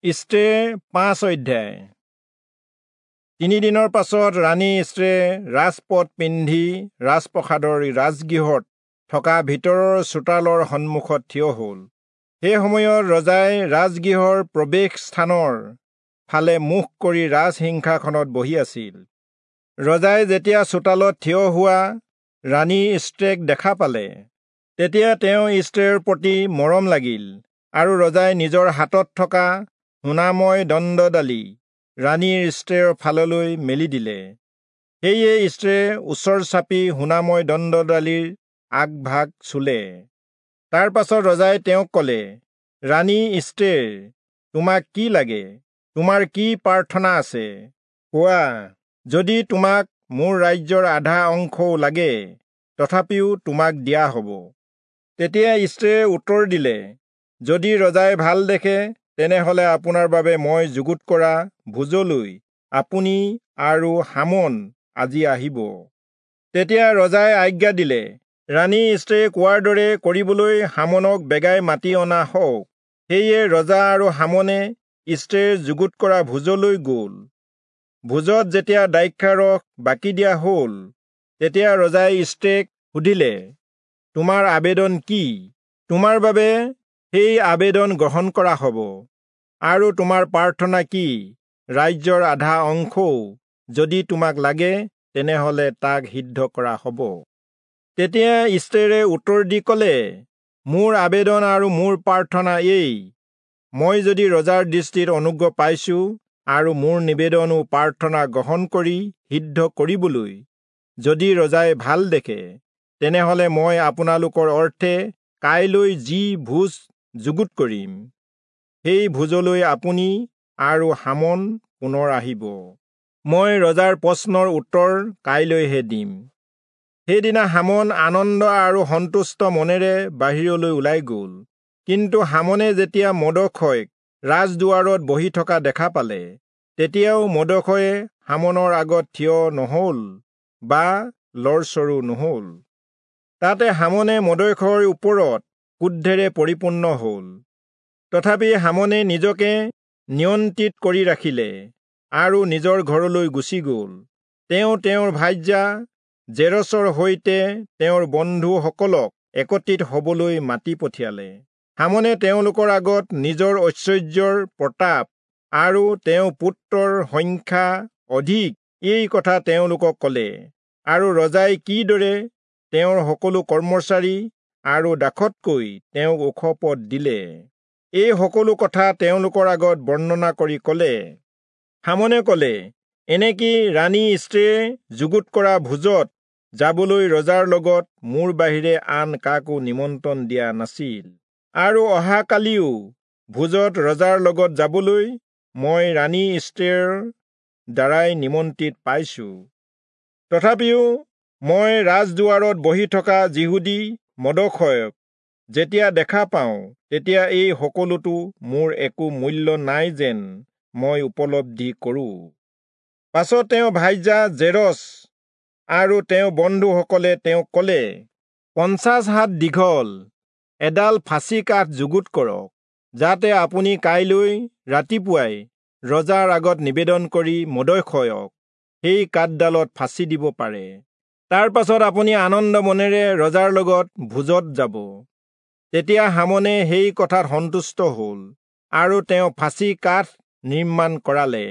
ইস্তেৰ 5 অধ্যায়। 3 দিনৰ পাছত ৰাণী ইস্তেৰে ৰাজপদ পিন্ধি ৰাজপ্ৰসাদৰ ৰাজগৃহত থকা ভিতৰৰ চোতালৰ সন্মুখত থিয় হ'ল। সেই সময়ত ৰজাই ৰাজগৃহৰ প্ৰৱেশ স্থানৰ ফালে মুখ কৰি ৰাজসিংহাসনত বহি আছিল। ৰজাই যেতিয়া চোতালত থিয় হোৱা ৰাণী ইস্তেৰক দেখা পালে, তেতিয়া তেওঁ ইস্তেৰৰ প্ৰতি মৰম লাগিল আৰু ৰজাই নিজৰ হাতত থকা সোণাময় দণ্ডডালি ৰাণীৰ ইস্তেৰৰ ফাললৈ মেলি দিলে। সেয়ে ইস্তেৰে ওচৰ চাপি সোণাময় দণ্ডডালিৰ আগভাগ চুলে। তাৰ পাছত ৰজাই তেওঁক ক'লে, ৰাণী ইস্তেৰ, তোমাক কি লাগে? তোমাৰ কি প্ৰাৰ্থনা আছে? কোৱা, যদি তোমাক মোৰ ৰাজ্যৰ আধা অংশও লাগে, তথাপিও তোমাক দিয়া হ'ব। তেতিয়া ইস্তেৰে উত্তৰ দিলে, যদি ৰজাই ভাল দেখে, তেনেহলে আপোনাৰ বাবে মই যুগুত কৰা ভোজলৈ আপুনি আৰু হামন আজি আহিব। তেতিয়া ৰজাই আজ্ঞা দিলে, ৰাণী ইস্তেৰে কোৱাৰ দৰে কৰিবলৈ হামনক বেগাই মাতি অনা হওক। সেয়ে ৰজা আৰু হামনে ইস্তেৰে যুগুত কৰা ভোজলৈ গ'ল। ভোজত যেতিয়া দ্ৰাক্ষাৰস বাকি দিয়া হ'ল, তেতিয়া ৰজাই ইস্তেৰক সুধিলে, তোমাৰ আবেদন কি? তোমাৰ বাবে সেই আবেদন গ্ৰহণ কৰা হ'ব। আৰু তোমাৰ প্ৰাৰ্থনা কি? ৰাজ্যৰ আধা অংশও যদি তোমাক লাগে, তেনেহলে তাক সিদ্ধ কৰা হ'ব। তেতিয়া ইস্তেৰে উত্তৰ দি ক'লে, মোৰ আবেদন আৰু মোৰ প্ৰাৰ্থনা এই, মই যদি ৰজাৰ দৃষ্টিত অনুগ্ৰহ পাইছো আৰু মোৰ নিবেদন ও প্ৰাৰ্থনা গ্ৰহণ কৰি সিদ্ধ কৰিবলৈ যদি ৰজাই ভাল দেখে, তেনেহলে মই আপোনালোকৰ অৰ্থে কাইলৈ যি ভোজ যুগুত কৰিম, সেই ভোজলৈ আপুনি আৰু হামন পুনৰ আহিব। মই ৰজাৰ প্ৰশ্নৰ উত্তৰ কাইলৈহে দিম। সেইদিনা হামন আনন্দ আৰু সন্তুষ্ট মনেৰে বাহিৰলৈ ওলাই গ'ল। কিন্তু হামনে যেতিয়া মৰ্দখয়ক ৰাজদুৱাৰত বহি থকা দেখা পালে, তেতিয়াও মৰ্দখয়ে হামনৰ আগত থিয় নহ'ল বা লৰচৰো নহ'ল। তাতে হামনে মৰ্দখয়ৰ ওপৰত ক্ৰোধেৰে পৰিপূৰ্ণ হ'ল। তথাপি হামনে নিজকে নিয়ন্ত্ৰিত কৰি ৰাখিলে আৰু নিজৰ ঘৰলৈ গুচি গ'ল। তেওঁ তেওঁৰ ভাৰ্যা জেৰচৰ সৈতে তেওঁৰ বন্ধুসকলক একত্ৰিত হ'বলৈ মাতি পঠিয়ালে। হামনে তেওঁলোকৰ আগত নিজৰ ঐশ্বৰ্যৰ প্ৰতাপ আৰু তেওঁৰ পুত্ৰৰ সংখ্যা অধিক এই কথা তেওঁলোকক ক'লে, আৰু ৰজাই কিদৰে তেওঁৰ সকলো কৰ্মচাৰী আৰু দাসতকৈ তেওঁক ওখ পদ দিলে, এই সকলো কথা তেওঁলোকৰ আগত বৰ্ণনা কৰি ক'লে। হামনে ক'লে, এনেকি ৰাণী ইস্তেৰে যুগুত কৰা ভোজত যাবলৈ ৰজাৰ লগত মোৰ বাহিৰে আন কাকো নিমন্ত্ৰণ দিয়া নাছিল, আৰু অহাকালিও ভোজত ৰজাৰ লগত যাবলৈ মই ৰাণী ইস্তেৰৰ দ্বাৰাই নিমন্ত্ৰিত পাইছো। তথাপিও মই ৰাজদুৱাৰত বহি থকা যিহুদী মৰ্দখয়ক যেতিয়া দেখা পাওঁ, তেতিয়া এই সকলোতো মোৰ একো মূল্য নাই যেন মই উপলব্ধি কৰোঁ। পাছত তেওঁ ভাৰ্যা জেৰচ আৰু তেওঁ বন্ধুসকলে তেওঁক ক'লে, 50 হাত দীঘল এডাল ফাঁচি কাঠ যুগুত কৰক, যাতে আপুনি কাইলৈ ৰাতিপুৱাই ৰজাৰ আগত নিবেদন কৰি মৰ্দখয়ক সেই কাঠডালত ফাঁচি দিব পাৰে। তাৰ পাছত আপুনি আনন্দ মনেৰে ৰজাৰ লগত ভোজত যাব। তেতিয়া হামনে সেই কথাত সন্তুষ্ট হ'ল আৰু তেওঁ ফাঁচি কাঠ নিৰ্মাণ কৰালে।